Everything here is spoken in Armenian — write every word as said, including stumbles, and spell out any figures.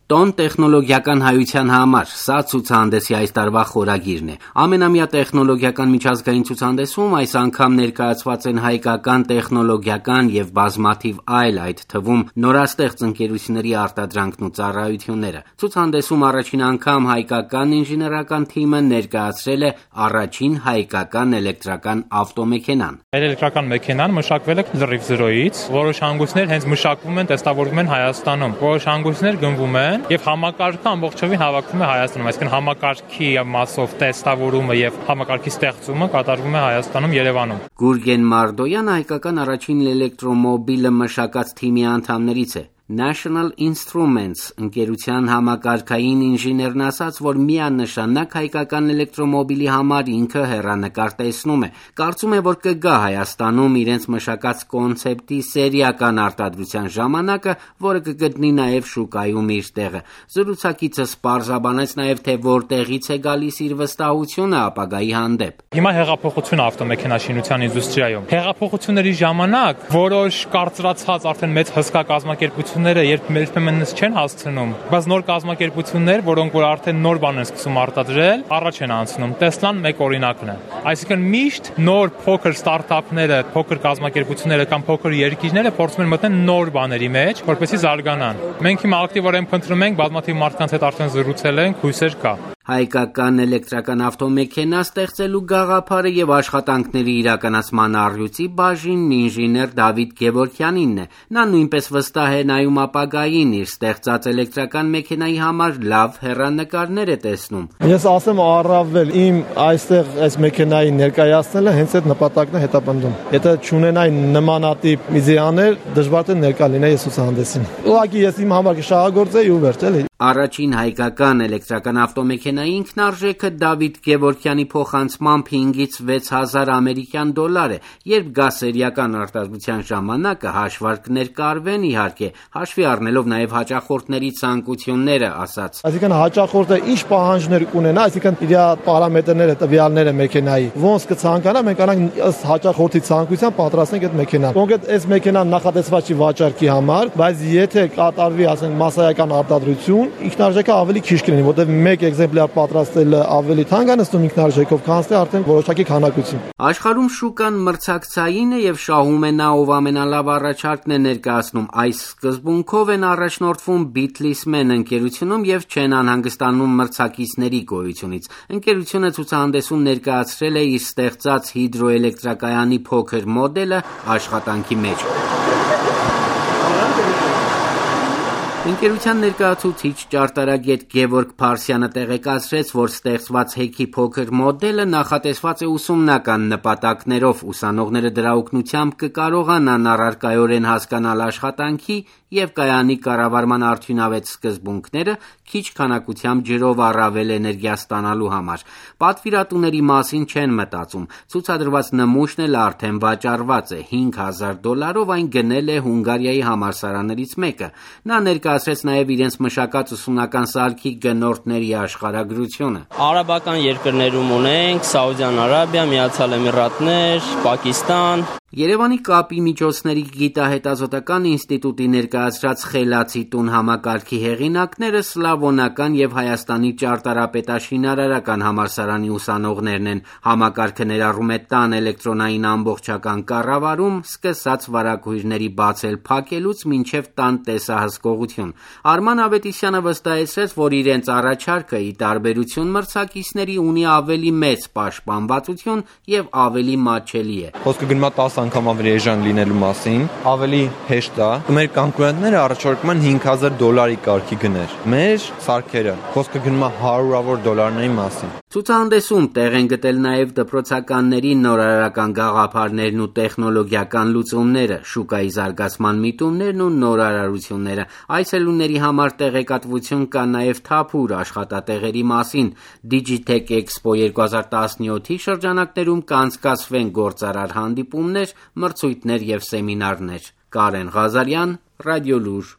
Տոն տեխնոլոգիական հայության համար, սա ցուցահանդեսի այս տարվա խորագիրն է։ Ամենամյա տեխնոլոգիական միջազգային ցուցահանդեսում այս անգամ ներկայացված են հայկական տեխնոլոգիական եւ բազմաթիվ այլ, այդ թվում նորաստեղծ ընկերությունների արտադրանքն ու ծառայությունները։ Ցուցահանդեսում առաջին անգամ հայկական ինժեներական թիմը ներկայացրել է առաջին հայկական էլեկտրական ավտոմեքենան։ Էլեկտրական մեքենան մշակվել է լրիվ զրոյից, որոշ հանգույցներ հենց մշակվում են, տեստավորվում են Հայաստանում, որոշ հանգույցներ գնվում են եւ համակարգը ամբողջովին հավաքվում է Հայաստանում, այսինքն համակարգի մասով տեստավորումը եւ համակարգի ստեղծումը կատարվում է Հայաստանում, Երևանում։ Գուրգեն Մարդոյանը հայկական առաջին էլեկտրոմոբիլը մշակած թիմի անդամներից է։ National Instruments ընկերության համակարգային ինժեներն ասաց, որ միանշանակ հայկական էլեկտրոմոբիլի համար ինքը հեռանկար տեսնում է։ Կարծում է, որ կգա Հայաստանում իրենց մշակած կոնցեպտի սերիական արտադրության ժամանակը, որը կգտնի նաև շուկայում իր տեղը։ Զրուցակիցս պարզաբանեց նաև, թե որտեղից է գալիս իր վստահությունը ապագայի հանդեպ։ Հիմա հեղափոխություն ավտոմեքենաշինության ինդուստրիայում։ Հեղափոխությունների ժամանակ որոշ կարծրացած արդեն մեծ հսկա կազմակերպություն երբ երբեմն չեն հասցնում, բայց նոր կազմակերպություններ, որոնք որ արդեն նոր բան են սկսում արտադրել, առաջ են անցնում։ Տեսլան մեկ օրինակն է։ Այսինքն միշտ նոր փոքր ստարտափները, փոքր կազմակերպությունները կամ փոքր երկիրները փորձում են մտնել նոր բաների մեջ, որպեսզի զարգանան։ Մենք հիմա ակտիվորեն փնտրում ենք, բազմաթիվ մարդկանց հետ արդեն զրուցել ենք, հույսեր կա։ Հայկական էլեկտրական ավտոմեքենա ստեղծելու գաղափարը եւ աշխատանքների իրականացման առյուծի բաժինն ինժեներ Դավիթ Գևորգյանինն է։ Նա նույնպես վստահ է նայում ապագային, իր ստեղծած էլեկտրական մեքենայի համար լավ հեռանկարներ է տեսնում։ Ես ասեմ առավել իմ այստեղ այս մեքենայի ներկայացնելը հենց այդ նպատակն է հետապնդում։ Եթե չունենայի նմանատիպ իդեաներ, դժվար է ներկա լինեի այս ցուցահանդեսին։ Ուղղակի ես իմ համար կշահագործեի ու վերջ էլի։ Առաջին հայկական էլեկտրական ավտոմեքենայի ինքնարժեքը Դավիթ Գևորգյանի փոխանցմամբ հինգից վեց հազար ամերիկյան դոլար է։ Երբ գա սերիական արտադրության ժամանակը, հաշվարկներ կարվեն իհարկե, հաշվի առնելով նաև հաճախորդների ցանկությունները, ասաց։ Այսինքն հաճախորդը ինչ պահանջներ կունենա, այսինքն իր պարամետրները, տվյալները մեքենայի, ոնց կցանկանա, մենք անանք ըստ հաճախորդի ցանկության պատրաստենք այդ մեքենան։ Կոնկրետ այս մեքենան նախատեսված չի վաճառքի համար, բայց եթե կատարվի, ասենք, մասսայական արտադրություն, ինքնարժեքը ավելի քիչ կլինի, որտեղ մեկ էկզեմպլյար պատրաստելը ավելի թանկ է նստում ինքնարժեքով, քան թե արդեն որոշակի քանակություն։ Աշխարհում շուկան մրցակցային է եւ շահում է նա, ով ամենալավ առաջարկն է ներկայացնում։ Այս սկզբունքով են առաջնորդվում Bitlismen ընկերությունում եւ չեն անհանգստանում մրցակիցների գոյությունից։ Ընկերությունը ցուցահանդեսում ներկայացրել է իր ստեղծած հիդրոէլեկտրակայանի փոքր մոդելը աշխատանքի մեջ։ Ընկերության ներկայացուցիչ ճարտարագետ Գևորգ Փարսյանը տեղեկացրեց, որ ստեղծված հեքի փոքր մոդելը նախատեսված է ուսումնական նպատակներով, ուսանողները դրա օգնությամբ կկարողանան առարկայորեն հասկանալ աշխատանքի եւ կայանի կառավարման արդյունավետ սկզբունքները քիչ քանակությամբ ջրով առավել էներգիա ստանալու համար։ Պատվիրատուների մասին չեն մտածում։ Ցուցադրված նմուշն էլ արդեն վաճառված է հինգ հազար դոլարով, այն գնել է Հունգարիայի համալսարաններից մեկը։ Նա ներկայացրեց նաև իրենց մշակած ուսումնական սարքի գնորդների աշխարհագրությունը։ Արաբական երկրներում ունենք Սաուդյան Արաբիա, Միացյալ Էմիրատներ, Պակիստան։ Երևանի կապի միջոցների գիտահետազոտական ինստիտուտի ներկայացրած Խելացի տուն համակարգի հեղինակները սլավոնական եւ Հայաստանի ճարտարապետաշինարարական համալսարանի ուսանողներն են։ Համակարգը ներառում է տան էլեկտրոնային ամբողջական կառավարում, սկսած վարակույրների բացել փակելուց մինչև տան տեսահսկողություն։ Արման Ավետիսյանը վստահեցրեց, որ իրենց առաջարկը ի տարբերություն մրցակիցների ունի ավելի մեծ պաշտպանվածություն եւ ավելի մատչելի է։ Խոսքը գնում է անգամ ավելի էժան լինելու մասին, ավելի հեշտ է։ Մեր կոնկուրենտները առաջարկում են հինգ հազար դոլարի կարգի գներ։ Մեր սարքերը խոսքը գնում է հարյուրավոր դոլարների մասին։ Ցուցահանդեսում տեղ են գտել նաև դպրոցականների նորարարական գաղափարներն ու տեխնոլոգիական լուծումները, շուկայի զարգացման միտումներն ու նորարարությունները։ Այցելուների համար տեղեկատվություն կա նաև թափուր աշխատատեղերի մասին։ Digitech Expo երկու հազար տասնյոթի շրջանակներում կանցկացվեն գործարար հանդիպումներ, մրցույթներ եւ սեմինարներ։ Կարեն Ղազարյան, Ռադիոլուր։